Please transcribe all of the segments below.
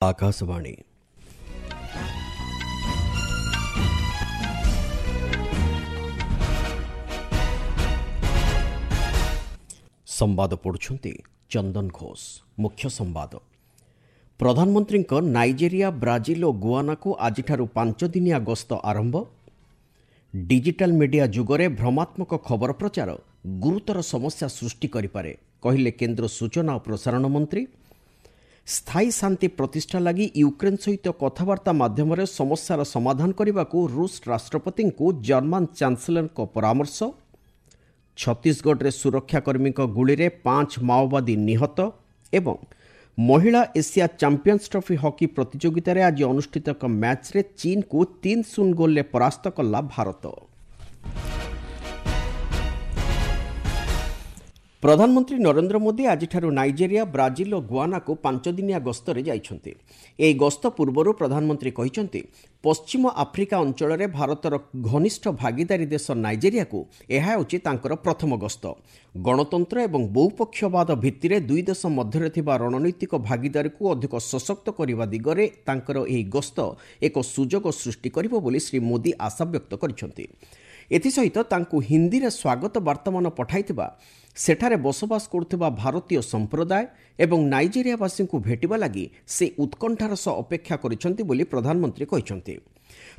ଆକାଶବାଣୀ। ସମ୍ବାଦ ପଢ଼ୁଛନ୍ତି ଚନ୍ଦନ ଘୋଷ। ମୁଖ୍ୟ ସମ୍ବାଦ। ପ୍ରଧାନମନ୍ତ୍ରୀଙ୍କ ନାଇଜେରିଆ, ବ୍ରାଜିଲ ଓ ଗୁଆନାକୁ ଆଜିଠାରୁ 5 ଦିନିଆ ଗସ୍ତ ଆରମ୍ଭ। ଡିଜିଟାଲ ମିଡିଆ ଯୁଗରେ ଭ୍ରମାତ୍ମକ ଖବର ପ୍ରଚାର ଗୁରୁତର ସମସ୍ୟା ସୃଷ୍ଟି କରିପାରେ, କହିଲେ କେନ୍ଦ୍ର ସୂଚନା ଓ ପ୍ରସାରଣ ମନ୍ତ୍ରୀ। ସ୍ଥାୟୀ ଶାନ୍ତି ପ୍ରତିଷ୍ଠା ଲାଗି ୟୁକ୍ରେନ୍ ସହିତ କଥାବାର୍ତ୍ତା ମାଧ୍ୟମରେ ସମସ୍ୟାର ସମାଧାନ କରିବାକୁ ରୁଷ ରାଷ୍ଟ୍ରପତିଙ୍କୁ ଜର୍ମାନ ଚାନ୍ସେଲରଙ୍କ ପରାମର୍ଶ। ଛତିଶଗଡ଼ରେ ସୁରକ୍ଷାକର୍ମୀଙ୍କ ଗୁଳିରେ 5 ମାଓବାଦୀ ନିହତ। ଏବଂ ମହିଳା ଏସିଆ ଚାମ୍ପିୟନ୍ସ ଟ୍ରଫି ହକି ପ୍ରତିଯୋଗିତାରେ ଆଜି ଅନୁଷ୍ଠିତ ଏକ ମ୍ୟାଚ୍ରେ ଚୀନକୁ 3-0 ଗୋଲରେ ପରାସ୍ତ କଲା ଭାରତ। ପ୍ରଧାନମନ୍ତ୍ରୀ ନରେନ୍ଦ୍ର ମୋଦି ଆଜିଠାରୁ ନାଇଜେରିଆ, ବ୍ରାଜିଲ ଓ ଗୁଆନାକୁ 5 ଦିନିଆ ଗସ୍ତରେ ଯାଇଛନ୍ତି। ଏହି ଗସ୍ତ ପୂର୍ବରୁ ପ୍ରଧାନମନ୍ତ୍ରୀ କହିଛନ୍ତି, ପଶ୍ଚିମ ଆଫ୍ରିକା ଅଞ୍ଚଳରେ ଭାରତର ଘନିଷ୍ଠ ଭାଗିଦାରୀ ଦେଶ ନାଇଜେରିଆକୁ ଏହା ହେଉଛି ତାଙ୍କର ପ୍ରଥମ ଗସ୍ତ। ଗଣତନ୍ତ୍ର ଏବଂ ବହୁପକ୍ଷବାଦ ଭିତ୍ତିରେ ଦୁଇ ଦେଶ ମଧ୍ୟରେ ଥିବା ରଣନୈତିକ ଭାଗିଦାରୀକୁ ଅଧିକ ସଶକ୍ତ କରିବା ଦିଗରେ ତାଙ୍କର ଏହି ଗସ୍ତ ଏକ ସୁଯୋଗ ସୃଷ୍ଟି କରିବ ବୋଲି ଶ୍ରୀ ମୋଦି ଆଶାବ୍ୟକ୍ତ କରିଛନ୍ତି। ଏଥିସହିତ ତାଙ୍କୁ ହିନ୍ଦୀରେ ସ୍ୱାଗତ ବାର୍ତ୍ତାମାନ ପଠାଇଥିବା ସେଠାରେ ବସବାସ କରୁଥିବା ଭାରତୀୟ ସମ୍ପ୍ରଦାୟ ଏବଂ ନାଇଜେରିଆବାସୀଙ୍କୁ ଭେଟିବା ଲାଗି ସେ ଉତ୍କଣ୍ଠାର ସହ ଅପେକ୍ଷା କରିଛନ୍ତି ବୋଲି ପ୍ରଧାନମନ୍ତ୍ରୀ କହିଛନ୍ତି।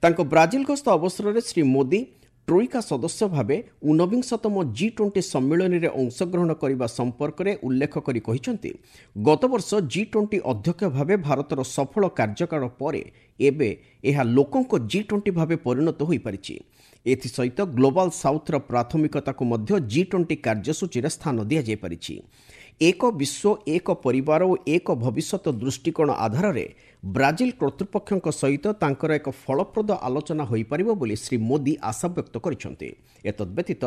ତାଙ୍କ ବ୍ରାଜିଲ ଗସ୍ତ ଅବସରରେ ଶ୍ରୀ ମୋଦି ଟ୍ରୋଇକା ସଦସ୍ୟ ଭାବେ 19ତମ ଜି-20 ସମ୍ମିଳନୀରେ ଅଂଶଗ୍ରହଣ କରିବା ସମ୍ପର୍କରେ ଉଲ୍ଲେଖ କରି କହିଛନ୍ତି, ଗତବର୍ଷ ଜି-20 ଅଧ୍ୟକ୍ଷ ଭାବେ ଭାରତର ସଫଳ କାର୍ଯ୍ୟକାଳ ପରେ ଏବେ ଏହା ଲୋକଙ୍କ ଜି-20 ଭାବେ ପରିଣତ ହୋଇପାରିଛି। ଏଥିସହିତ ଗ୍ଲୋବାଲ ସାଉଥର ପ୍ରାଥମିକତାକୁ ମଧ୍ୟ ଜି-20 କାର୍ଯ୍ୟସୂଚୀରେ ସ୍ଥାନ ଦିଆଯାଇପାରିଛି। ଏକ ବିଶ୍ୱ, ଏକ ପରିବାର ଓ ଏକ ଭବିଷ୍ୟତ ଦୃଷ୍ଟିକୋଣ ଆଧାରରେ ବ୍ରାଜିଲ କର୍ତ୍ତୃପକ୍ଷଙ୍କ ସହିତ ତାଙ୍କର ଏକ ଫଳପ୍ରଦ ଆଲୋଚନା ହୋଇପାରିବ ବୋଲି ଶ୍ରୀ ମୋଦି ଆଶାବ୍ୟକ୍ତ କରିଛନ୍ତି। ଏତଦ୍ବ୍ୟତୀତ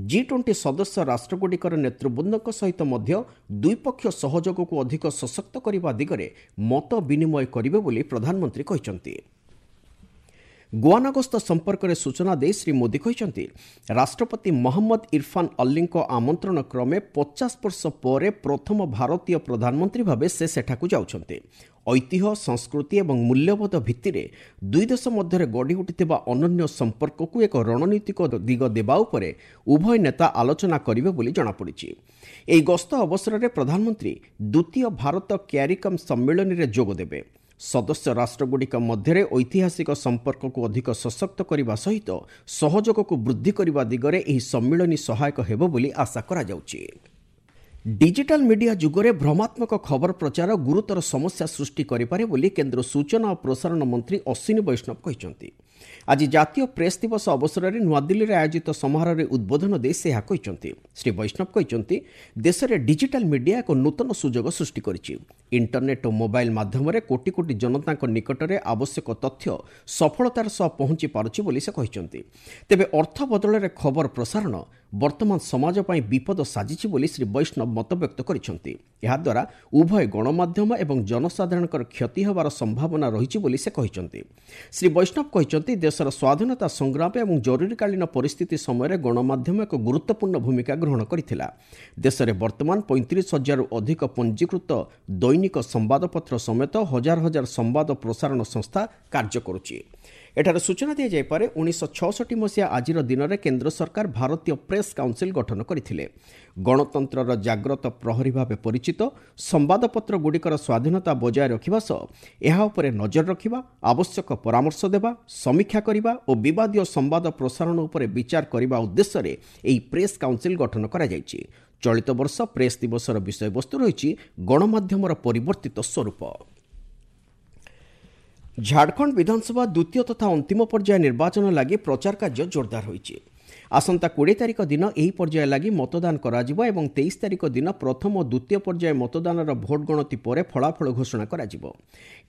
ଜି-20 ସଦସ୍ୟ ରାଷ୍ଟ୍ରଗୁଡ଼ିକର ନେତୃବୃନ୍ଦଙ୍କ ସହିତ ମଧ୍ୟ ଦ୍ୱିପକ୍ଷୀୟ ସହଯୋଗକୁ ଅଧିକ ସଶକ୍ତ କରିବା ଦିଗରେ ମତ ବିନିମୟ କରିବେ ବୋଲି ପ୍ରଧାନମନ୍ତ୍ରୀ କହିଛନ୍ତି। ଗୁଆନା ଗସ୍ତ ସମ୍ପର୍କରେ ସୂଚନା ଦେଇ ଶ୍ରୀ ମୋଦି କହିଛନ୍ତି, ରାଷ୍ଟ୍ରପତି ମହମ୍ମଦ ଇରଫାନ ଅଲ୍ଲୀଙ୍କ ଆମନ୍ତ୍ରଣ କ୍ରମେ 50 ବର୍ଷ ପରେ ପ୍ରଥମ ଭାରତୀୟ ପ୍ରଧାନମନ୍ତ୍ରୀ ଭାବେ ସେ ସେଠାକୁ ଯାଉଛନ୍ତି। ଐତିହ୍ୟ, ସଂସ୍କୃତି ଏବଂ ମୂଲ୍ୟବୋଧ ଭିତ୍ତିରେ ଦୁଇ ଦେଶ ମଧ୍ୟରେ ଗଢ଼ି ଉଠିଥିବା ଅନନ୍ୟ ସମ୍ପର୍କକୁ ଏକ ରଣନୀତିକ ଦିଗ ଦେବା ଉପରେ ଉଭୟ ନେତା ଆଲୋଚନା କରିବେ ବୋଲି ଜଣାପଡ଼ିଛି। ଏହି ଗସ୍ତ ଅବସରରେ ପ୍ରଧାନମନ୍ତ୍ରୀ ଦ୍ୱିତୀୟ ଭାରତ କ୍ୟାରିକମ୍ ସମ୍ମିଳନୀରେ ଯୋଗଦେବେ। ସଦସ୍ୟ ରାଷ୍ଟ୍ରଗୁଡ଼ିକ ମଧ୍ୟରେ ଐତିହାସିକ ସମ୍ପର୍କକୁ ଅଧିକ ସଶକ୍ତ କରିବା ସହିତ ସହଯୋଗକୁ ବୃଦ୍ଧି କରିବା ଦିଗରେ ଏହି ସମ୍ମିଳନୀ ସହାୟକ ହେବ ବୋଲି ଆଶା କରାଯାଉଛି। ଡିଜିଟାଲ ମିଡିଆ ଯୁଗରେ ଭ୍ରମାତ୍ମକ ଖବର ପ୍ରଚାର ଗୁରୁତର ସମସ୍ୟା ସୃଷ୍ଟି କରିପାରେ ବୋଲି କେନ୍ଦ୍ର ସୂଚନା ଓ ପ୍ରସାରଣ ମନ୍ତ୍ରୀ ଅଶ୍ୱିନୀ ବୈଷ୍ଣବ କହିଛନ୍ତି। ଆଜି ଜାତୀୟ ପ୍ରେସ୍ ଦିବସ ଅବସରରେ ନୂଆଦିଲ୍ଲୀରେ ଆୟୋଜିତ ସମାରୋହରେ ଉଦ୍ବୋଧନ ଦେଇ ସେ ଏହା କହିଛନ୍ତି। ଶ୍ରୀ ବୈଷ୍ଣବ କହିଛନ୍ତି, ଦେଶରେ ଡିଜିଟାଲ ମିଡିଆ ଏକ ନୂତନ ସୁଯୋଗ ସୃଷ୍ଟି କରିଛି। ଇଣ୍ଟରନେଟ୍ ଓ ମୋବାଇଲ ମାଧ୍ୟମରେ କୋଟି କୋଟି ଜନତାଙ୍କ ନିକଟରେ ଆବଶ୍ୟକ ତଥ୍ୟ ସଫଳତାର ସହ ପହଞ୍ଚି ପାରୁଛି ବୋଲି ସେ କହିଛନ୍ତି। ତେବେ ଅର୍ଥ ବଦଳରେ ଖବର ପ୍ରସାରଣ ବର୍ତ୍ତମାନ ସମାଜ ପାଇଁ ବିପଦ ସାଜିଛି ବୋଲି ଶ୍ରୀ ବୈଷ୍ଣବ ମତବ୍ୟକ୍ତ କରିଛନ୍ତି। ଏହାଦ୍ୱାରା ଉଭୟ ଗଣମାଧ୍ୟମ ଏବଂ ଜନସାଧାରଣଙ୍କର କ୍ଷତି ହେବାର ସମ୍ଭାବନା ରହିଛି ବୋଲି ସେ କହିଛନ୍ତି। ଶ୍ରୀ ବୈଷ୍ଣବ କହିଛନ୍ତି, ଦେଶର ସ୍ୱାଧୀନତା ସଂଗ୍ରାମ ଏବଂ ଜରୁରୀକାଳୀନ ପରିସ୍ଥିତି ସମୟରେ ଗଣମାଧ୍ୟମ ଏକ ଗୁରୁତ୍ୱପୂର୍ଣ୍ଣ ଭୂମିକା ଗ୍ରହଣ କରିଥିଲା। ଦେଶରେ ବର୍ତ୍ତମାନ 35,000ରୁ ଅଧିକ ପଞ୍ଜୀକୃତ ଦୈନିକ ସମ୍ବାଦପତ୍ର ସମେତ ହଜାର ହଜାର ସମ୍ବାଦ ପ୍ରସାରଣ ସଂସ୍ଥା କାର୍ଯ୍ୟ କରୁଛି। ଏଠାରେ ସୂଚନା ଦିଆଯାଇପାରେ, 1966 ମସିହା ଆଜିର ଦିନରେ କେନ୍ଦ୍ର ସରକାର ଭାରତୀୟ ପ୍ରେସ୍ କାଉନସିଲ୍ ଗଠନ କରିଥିଲେ। ଗଣତନ୍ତ୍ରର ଜାଗ୍ରତ ପ୍ରହରୀ ଭାବେ ପରିଚିତ ସମ୍ବାଦପତ୍ରଗୁଡ଼ିକର ସ୍ୱାଧୀନତା ବଜାୟ ରଖିବା ସହ ଏହା ଉପରେ ନଜର ରଖିବା, ଆବଶ୍ୟକ ପରାମର୍ଶ ଦେବା, ସମୀକ୍ଷା କରିବା ଓ ବିବାଦୀୟ ସମ୍ବାଦ ପ୍ରସାରଣ ଉପରେ ବିଚାର କରିବା ଉଦ୍ଦେଶ୍ୟରେ ଏହି ପ୍ରେସ୍ କାଉନସିଲ୍ ଗଠନ କରାଯାଇଛି। ଚଳିତ ବର୍ଷ ପ୍ରେସ୍ ଦିବସର ବିଷୟବସ୍ତୁ ରହିଛି ଗଣମାଧ୍ୟମର ପରିବର୍ତ୍ତିତ ସ୍ୱରୂପ। ଝାଡ଼ଖଣ୍ଡ ବିଧାନସଭା ଦ୍ୱିତୀୟ ତଥା ଅନ୍ତିମ ପର୍ଯ୍ୟାୟ ନିର୍ବାଚନ ଲାଗି ପ୍ରଚାର କାର୍ଯ୍ୟ ଜୋରଦାର ହୋଇଛି। ଆସନ୍ତା 20 ତାରିଖ ଦିନ ଏହି ପର୍ଯ୍ୟାୟ ଲାଗି ମତଦାନ କରାଯିବ ଏବଂ 23 ତାରିଖ ଦିନ ପ୍ରଥମ ଓ ଦ୍ୱିତୀୟ ପର୍ଯ୍ୟାୟ ମତଦାନର ଭୋଟ ଗଣତି ପରେ ଫଳାଫଳ ଘୋଷଣା କରାଯିବ।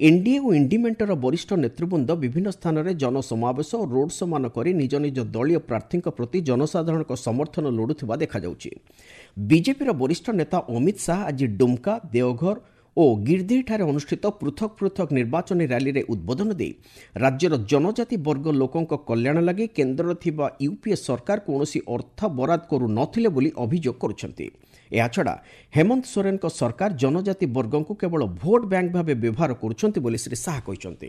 ଏନ୍ଡିଏ ଓ ଇଣ୍ଡି ମେଣ୍ଟର ବରିଷ୍ଠ ନେତୃବୃନ୍ଦ ବିଭିନ୍ନ ସ୍ଥାନରେ ଜନସମାବେଶ ଓ ରୋଡ୍ ଶୋ ମାନ କରି ନିଜ ନିଜ ଦଳୀୟ ପ୍ରାର୍ଥୀଙ୍କ ପ୍ରତି ଜନସାଧାରଣଙ୍କ ସମର୍ଥନ ଲୋଡୁଥିବା ଦେଖାଯାଉଛି। ବିଜେପିର ବରିଷ୍ଠ ନେତା ଅମିତ ଶାହା ଆଜି ଡୁମ୍କା, ଦେଓଘର ଓ ଗିର୍ଦ୍ଧିଠାରେ ଅନୁଷ୍ଠିତ ପୃଥକ ପୃଥକ ନିର୍ବାଚନୀ ର୍ୟାଲିରେ ଉଦ୍ବୋଧନ ଦେଇ ରାଜ୍ୟର ଜନଜାତି ବର୍ଗ ଲୋକଙ୍କ କଲ୍ୟାଣ ଲାଗି କେନ୍ଦ୍ରରେ ଥିବା ୟୁପିଏ ସରକାର କୌଣସି ଅର୍ଥ ବରାଦ କରୁନଥିଲେ ବୋଲି ଅଭିଯୋଗ କରୁଛନ୍ତି। ଏହାଛଡ଼ା ହେମନ୍ତ ସୋରେନଙ୍କ ସରକାର ଜନଜାତି ବର୍ଗଙ୍କୁ କେବଳ ଭୋଟ୍ ବ୍ୟାଙ୍କ ଭାବେ ବ୍ୟବହାର କରୁଛନ୍ତି ବୋଲି ଶ୍ରୀ ଶାହା କହିଛନ୍ତି।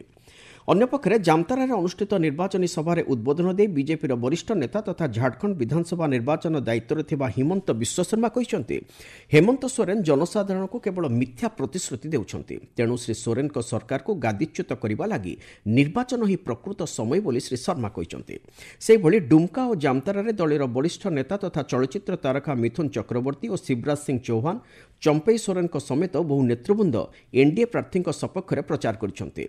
ଅନ୍ୟପକ୍ଷରେ ଜାମତାରାରେ ଅନୁଷ୍ଠିତ ନିର୍ବାଚନୀ ସଭାରେ ଉଦ୍ବୋଧନ ଦେଇ ବିଜେପିର ବରିଷ୍ଠ ନେତା ତଥା ଝାଡ଼ଖଣ୍ଡ ବିଧାନସଭା ନିର୍ବାଚନ ଦାୟିତ୍ୱରେ ଥିବା ହିମନ୍ତ ବିଶ୍ୱଶର୍ମା କହିଛନ୍ତି, ହେମନ୍ତ ସୋରେନ ଜନସାଧାରଣଙ୍କୁ କେବଳ ମିଥ୍ୟା ପ୍ରତିଶ୍ରୁତି ଦେଉଛନ୍ତି। ତେଣୁ ଶ୍ରୀ ସୋରେନଙ୍କ ସରକାରକୁ ଗାଦିଚ୍ୟୁତ କରିବା ଲାଗି ନିର୍ବାଚନ ହିଁ ପ୍ରକୃତ ସମୟ ବୋଲି ଶ୍ରୀ ଶର୍ମା କହିଛନ୍ତି। ସେହିଭଳି ଡୁମ୍କା ଓ ଜାମତାରାରେ ଦଳୀୟ ବରିଷ୍ଠ ନେତା ତଥା ଚଳଚ୍ଚିତ୍ର ତାରକା ମିଥୁନ ଚକ୍ରବର୍ତ୍ତୀ ଓ ଶିବରାଜ ସିଂ ଚୌହାନ, ଚମ୍ପେଇ ସୋରେନଙ୍କ ସମେତ ବହୁ ନେତୃବୃନ୍ଦ ଏନ୍ଡିଏ ପ୍ରାର୍ଥୀଙ୍କ ସପକ୍ଷରେ ପ୍ରଚାର କରିଛନ୍ତି।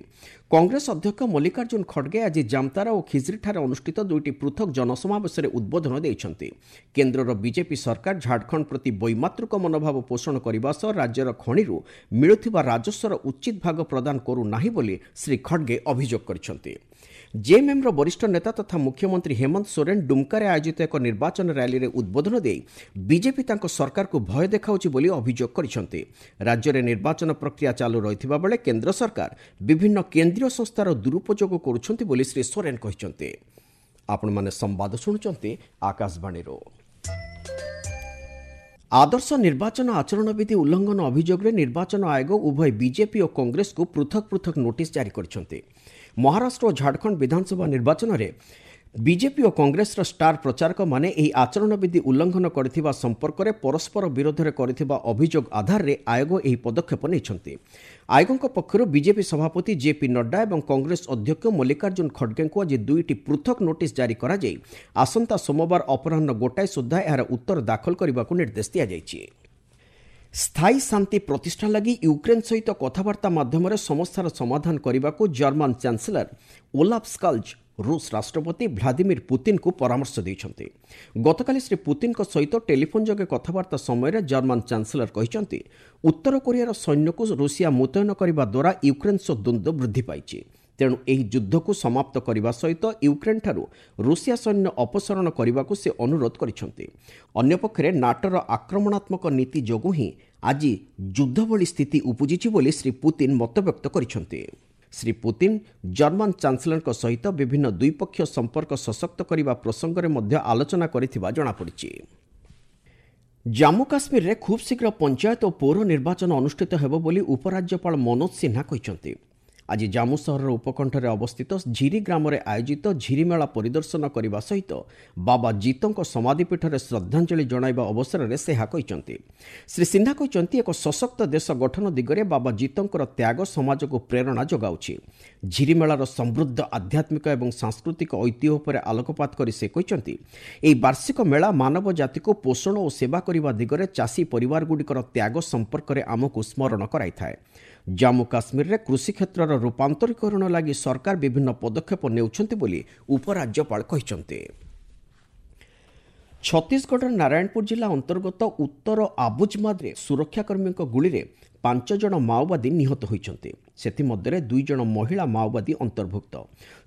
କଂଗ୍ରେସ ଅଧ୍ୟକ୍ଷ ମଲ୍ଲିକାର୍ଜୁନ ଖଡ଼ଗେ ଆଜି ଜାମତାରା ଓ ଖିଜ୍ରିଠାରେ ଅନୁଷ୍ଠିତ ଦୁଇଟି ପୃଥକ ଜନସମାବେଶରେ ଉଦ୍ବୋଧନ ଦେଇଛନ୍ତି। କେନ୍ଦ୍ରର ବିଜେପି ସରକାର ଝାଡ଼ଖଣ୍ଡ ପ୍ରତି ବୈମାତୃକ ମନୋଭାବ ପୋଷଣ କରିବା ସହ ରାଜ୍ୟର ଖଣିରୁ ମିଳୁଥିବା ରାଜସ୍ୱର ଉଚିତ ଭାଗ ପ୍ରଦାନ କରୁନାହିଁ ବୋଲି ଶ୍ରୀ ଖଡ଼ଗେ ଅଭିଯୋଗ କରିଛନ୍ତି। ଜେଏମ୍ଏମ୍ର ବରିଷ୍ଠ ନେତା ତଥା ମୁଖ୍ୟମନ୍ତ୍ରୀ ହେମନ୍ତ ସୋରେନ ଡୁମ୍କାରେ ଆୟୋଜିତ ଏକ ନିର୍ବାଚନ ର୍ୟାଲିରେ ଉଦ୍ବୋଧନ ଦେଇ ବିଜେପି ତାଙ୍କ ସରକାରକୁ ଭୟ ଦେଖାଉଛି ବୋଲି ଅଭିଯୋଗ କରିଛନ୍ତି। ରାଜ୍ୟରେ ନିର୍ବାଚନ ପ୍ରକ୍ରିୟା ଚାଲୁ ରହିଥିବା ବେଳେ କେନ୍ଦ୍ର ସରକାର ବିଭିନ୍ନ କେନ୍ଦ୍ରୀୟ ସଂସ୍ଥାର ଦୁରୁପଯୋଗ କରୁଛନ୍ତି ବୋଲି ଶ୍ରୀ ସୋରେନ କହିଛନ୍ତି। ଆପଣମାନେ ସମ୍ବାଦ ଶୁଣୁଛନ୍ତି ଆକାଶବାଣୀରୁ। ଆଦର୍ଶ ନିର୍ବାଚନ ଆଚରଣବିଧି ଉଲ୍ଲଂଘନ ଅଭିଯୋଗରେ ନିର୍ବାଚନ ଆୟୋଗ ଉଭୟ ବିଜେପି ଓ କଂଗ୍ରେସକୁ ପୃଥକ ପୃଥକ ନୋଟିସ୍ ଜାରି କରିଛନ୍ତି। ମହାରାଷ୍ଟ୍ର ଓ ଝାଡ଼ଖଣ୍ଡ ବିଧାନସଭା ନିର୍ବାଚନରେ ବିଜେପି ଓ କଂଗ୍ରେସର ଷ୍ଟାର ପ୍ରଚାରକମାନେ ଏହି ଆଚରଣବିଧି ଉଲ୍ଲଂଘନ କରିଥିବା ସମ୍ପର୍କରେ ପରସ୍ପର ବିରୋଧରେ କରିଥିବା ଅଭିଯୋଗ ଆଧାରରେ ଆୟୋଗ ଏହି ପଦକ୍ଷେପ ନେଇଛନ୍ତି। ଆୟୋଗଙ୍କ ପକ୍ଷରୁ ବିଜେପି ସଭାପତି ଜେପି ନଡ୍ଡା ଏବଂ କଂଗ୍ରେସ ଅଧ୍ୟକ୍ଷ ମଲ୍ଲିକାର୍ଜୁନ ଖଡ଼ଗେଙ୍କୁ ଆଜି ଦୁଇଟି ପୃଥକ ନୋଟିସ୍ ଜାରି କରାଯାଇ ଆସନ୍ତା ସୋମବାର ଅପରାହ୍ନ 1 ସୁଦ୍ଧା ଏହାର ଉତ୍ତର ଦାଖଲ କରିବାକୁ ନିର୍ଦ୍ଦେଶ ଦିଆଯାଇଛି। ସ୍ଥାୟୀ ଶାନ୍ତି ପ୍ରତିଷ୍ଠା ଲାଗି ୟୁକ୍ରେନ୍ ସହିତ କଥାବାର୍ତ୍ତା ମାଧ୍ୟମରେ ସମସ୍ୟାର ସମାଧାନ କରିବାକୁ ଜର୍ମାନ ଚାନ୍ସେଲର ଓଲାଫ ସ୍କଲ୍ଜ ରୁଷ ରାଷ୍ଟ୍ରପତି ଭ୍ଲାଦିମିର ପୁତିନଙ୍କୁ ପରାମର୍ଶ ଦେଇଛନ୍ତି। ଗତକାଲି ଶ୍ରୀ ପୁତିନଙ୍କ ସହିତ ଟେଲିଫୋନ୍ ଯୋଗେ କଥାବାର୍ତ୍ତା ସମୟରେ ଜର୍ମାନ ଚାନ୍ସେଲର କହିଛନ୍ତି, ଉତ୍ତର କୋରିଆର ସୈନ୍ୟକୁ ରୁଷିଆ ମୁତୟନ କରିବା ଦ୍ୱାରା ୟୁକ୍ରେନ୍ ସହ ଦ୍ୱନ୍ଦ୍ୱ ବୃଦ୍ଧି ପାଇଛି। ତେଣୁ ଏହି ଯୁଦ୍ଧକୁ ସମାପ୍ତ କରିବା ସହିତ ୟୁକ୍ରେନ୍ଠାରୁ ରୁଷିଆ ସୈନ୍ୟ ଅପସାରଣ କରିବାକୁ ସେ ଅନୁରୋଧ କରିଛନ୍ତି। ଅନ୍ୟପକ୍ଷରେ ନାଟୋର ଆକ୍ରମଣାତ୍ମକ ନୀତି ଯୋଗୁଁ ହିଁ ଆଜି ଯୁଦ୍ଧ ଭଳି ସ୍ଥିତି ଉପୁଜିଛି ବୋଲି ଶ୍ରୀ ପୁତିନ ମତବ୍ୟକ୍ତ କରିଛନ୍ତି। ଶ୍ରୀ ପୁତିନ ଜର୍ମାନ ଚାନ୍ସେଲରଙ୍କ ସହିତ ବିଭିନ୍ନ ଦ୍ୱିପକ୍ଷୀୟ ସମ୍ପର୍କ ସଶକ୍ତ କରିବା ପ୍ରସଙ୍ଗରେ ମଧ୍ୟ ଆଲୋଚନା କରିଥିବା ଜଣାପଡ଼ିଛି। ଜାମ୍ମୁ କାଶ୍ମୀରରେ ଖୁବ୍ ଶୀଘ୍ର ପଞ୍ଚାୟତ ଓ ପୌର ନିର୍ବାଚନ ଅନୁଷ୍ଠିତ ହେବ ବୋଲି ଉପରାଜ୍ୟପାଳ ମନୋଜ ସିହ୍ନା କହିଛନ୍ତି। ଆଜି ଜାମ୍ମୁ ସହରର ଉପକଣ୍ଠରେ ଅବସ୍ଥିତ ଝିରି ଗ୍ରାମରେ ଆୟୋଜିତ ଝିରିମେଳା ପରିଦର୍ଶନ କରିବା ସହିତ ବାବା ଜିତଙ୍କ ସମାଧିପୀଠରେ ଶ୍ରଦ୍ଧାଞ୍ଜଳି ଜଣାଇବା ଅବସରରେ ସେ ଏହା କହିଛନ୍ତି। ଶ୍ରୀ ସିହ୍ନା କହିଛନ୍ତି, ଏକ ସଶକ୍ତ ଦେଶ ଗଠନ ଦିଗରେ ବାବା ଜିତଙ୍କର ତ୍ୟାଗ ସମାଜକୁ ପ୍ରେରଣା ଯୋଗାଉଛି। ଝିରିମେଳାର ସମୃଦ୍ଧ ଆଧ୍ୟାତ୍ମିକ ଏବଂ ସାଂସ୍କୃତିକ ଐତିହ୍ୟ ଉପରେ ଆଲୋକପାତ କରି ସେ କହିଛନ୍ତି, ଏହି ବାର୍ଷିକ ମେଳା ମାନବ ଜାତିକୁ ପୋଷଣ ଓ ସେବା କରିବା ଦିଗରେ ଚାଷୀ ପରିବାରଗୁଡ଼ିକର ତ୍ୟାଗ ସମ୍ପର୍କରେ ଆମକୁ ସ୍ମରଣ କରାଇଥାଏ। ଜାମ୍ମୁ କାଶ୍ମୀରରେ କୃଷି କ୍ଷେତ୍ରର ରୂପାନ୍ତରୀକରଣ ଲାଗି ସରକାର ବିଭିନ୍ନ ପଦକ୍ଷେପ ନେଉଛନ୍ତି ବୋଲି ଉପରାଜ୍ୟପାଳ କହିଛନ୍ତି। ଛତିଶଗଡ଼ର ନାରାୟଣପୁର ଜିଲ୍ଲା ଅନ୍ତର୍ଗତ ଉତ୍ତର ଆବୁଜମାଦରେ ସୁରକ୍ଷାକର୍ମୀଙ୍କ ଗୁଳିରେ 5 ଜଣ ମାଓବାଦୀ ନିହତ ହୋଇଛନ୍ତି। ସେଥିମଧ୍ୟରେ 2 ଜଣ ମହିଳା ମାଓବାଦୀ ଅନ୍ତର୍ଭୁକ୍ତ।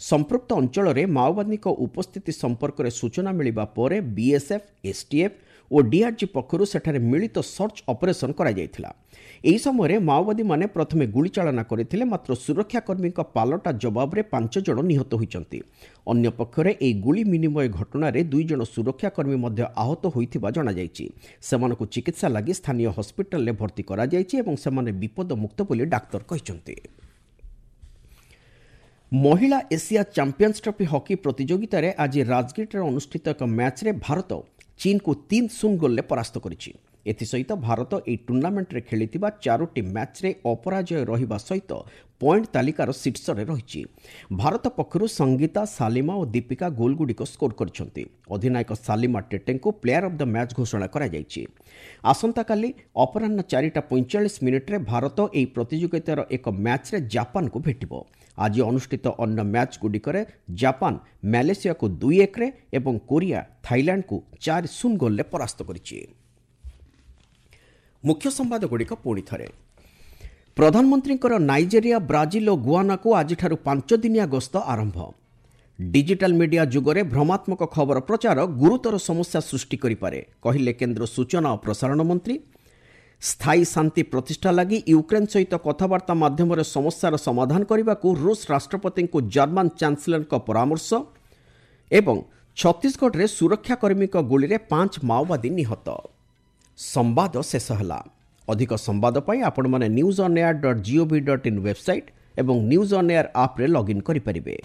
ସମ୍ପୃକ୍ତ ଅଞ୍ଚଳରେ ମାଓବାଦୀଙ୍କ ଉପସ୍ଥିତି ସମ୍ପର୍କରେ ସୂଚନା ମିଳିବା ପରେ ବିଏସ୍ଏଫ୍, ଏସ୍ଟିଏଫ୍ ଓ ଡିଆର୍ଜି ପକ୍ଷରୁ ସେଠାରେ ମିଳିତ ସର୍ଚ୍ଚ ଅପରେସନ୍ କରାଯାଇଥିଲା। ଏହି ସମୟରେ ମାଓବାଦୀମାନେ ପ୍ରଥମେ ଗୁଳିଚାଳନା କରିଥିଲେ, ମାତ୍ର ସୁରକ୍ଷାକର୍ମୀଙ୍କ ପାଲଟା ଜବାବରେ 5 ଜଣ ନିହତ ହୋଇଛନ୍ତି। ଅନ୍ୟପକ୍ଷରେ ଏହି ଗୁଳି ବିନିମୟ ଘଟଣାରେ 2 ଜଣ ସୁରକ୍ଷାକର୍ମୀ ମଧ୍ୟ ଆହତ ହୋଇଥିବା ଜଣାଯାଇଛି। ସେମାନଙ୍କୁ ଚିକିତ୍ସା ଲାଗି ସ୍ଥାନୀୟ ହସ୍ପିଟାଲରେ ଭର୍ତ୍ତି କରାଯାଇଛି ଏବଂ ସେମାନେ ବିପଦମୁକ୍ତ ବୋଲି ଡାକ୍ତର କହିଛନ୍ତି। ମହିଳା ଏସିଆ ଚାମ୍ପିୟନ୍ସ ଟ୍ରଫି ହକି ପ୍ରତିଯୋଗିତାରେ ଆଜି ରାଜଗିରିଠାରେ ଅନୁଷ୍ଠିତ ଏକ ମ୍ୟାଚ୍ରେ ଭାରତ ଚୀନକୁ 3-0 ଗୋଲରେ ପରାସ୍ତ କରିଛି। ଏଥିସହିତ ଭାରତ ଏହି ଟୁର୍ଣ୍ଣାମେଣ୍ଟରେ ଖେଳିଥିବା 4ଟି ମ୍ୟାଚ୍ରେ ଅପରାଜୟ ରହିବା ସହିତ ପଏଣ୍ଟ ତାଲିକାର ଶୀର୍ଷରେ ରହିଛି। ଭାରତ ପକ୍ଷରୁ ସଙ୍ଗୀତା, ସାଲିମା ଓ ଦୀପିକା ଗୋଲଗୁଡ଼ିକ ସ୍କୋର କରିଛନ୍ତି। ଅଧିନାୟକ ସାଲିମା ଟେଟେଙ୍କୁ ପ୍ଲେୟାର ଅଫ୍ the match ଘୋଷଣା କରାଯାଇଛି। ଆସନ୍ତାକାଲି ଅପରାହ୍ନ 4:45 ଭାରତ ଏହି ପ୍ରତିଯୋଗିତାର ଏକ ମ୍ୟାଚ୍ରେ ଜାପାନକୁ ଭେଟିବ। ଆଜି ଅନୁଷ୍ଠିତ ଅନ୍ୟ ମ୍ୟାଚ୍ଗୁଡ଼ିକରେ ଜାପାନ ମାଲେସିଆକୁ 2-1 ଏବଂ କୋରିଆ ଥାଇଲାଣ୍ଡକୁ 4-0 ଗୋଲରେ ପରାସ୍ତ କରିଛି। ମୁଖ୍ୟ ସମ୍ବାଦଗୁଡ଼ିକ ପୁଣି ଥରେ। ପ୍ରଧାନମନ୍ତ୍ରୀଙ୍କର ନାଇଜେରିଆ, ବ୍ରାଜିଲ ଓ ଗୁଆନାକୁ ଆଜିଠାରୁ 5 ଦିନିଆ ଗସ୍ତ ଆରମ୍ଭ। ଡିଜିଟାଲ ମିଡିଆ ଯୁଗରେ ଭ୍ରମାତ୍ମକ ଖବର ପ୍ରଚାର ଗୁରୁତର ସମସ୍ୟା ସୃଷ୍ଟି କରିପାରେ, କହିଲେ କେନ୍ଦ୍ର ସୂଚନା ଓ ପ୍ରସାରଣ ମନ୍ତ୍ରୀ। ସ୍ଥାୟୀ ଶାନ୍ତି ପ୍ରତିଷ୍ଠା ଲାଗି ୟୁକ୍ରେନ୍ ସହିତ କଥାବାର୍ତ୍ତା ମାଧ୍ୟମରେ ସମସ୍ୟାର ସମାଧାନ କରିବାକୁ ରୁଷ ରାଷ୍ଟ୍ରପତିଙ୍କୁ ଜର୍ମାନ ଚାନ୍ସେଲରଙ୍କ ପରାମର୍ଶ। ଏବଂ ଛତିଶଗଡ଼ରେ ସୁରକ୍ଷାକର୍ମୀଙ୍କ ଗୁଳିରେ 5 ମାଓବାଦୀ ନିହତ। ସମ୍ବାଦ ଶେଷ ହେଲା। ଅଧିକ ସମ୍ବାଦ ପାଇଁ ଆପଣମାନେ news on air dot gov dot in website ଏବଂ ନ୍ୟୁଜ୍ ଅନ୍ ଏୟାର ଆପ୍ରେ ଲଗ୍ଇନ୍ କରିପାରିବେ।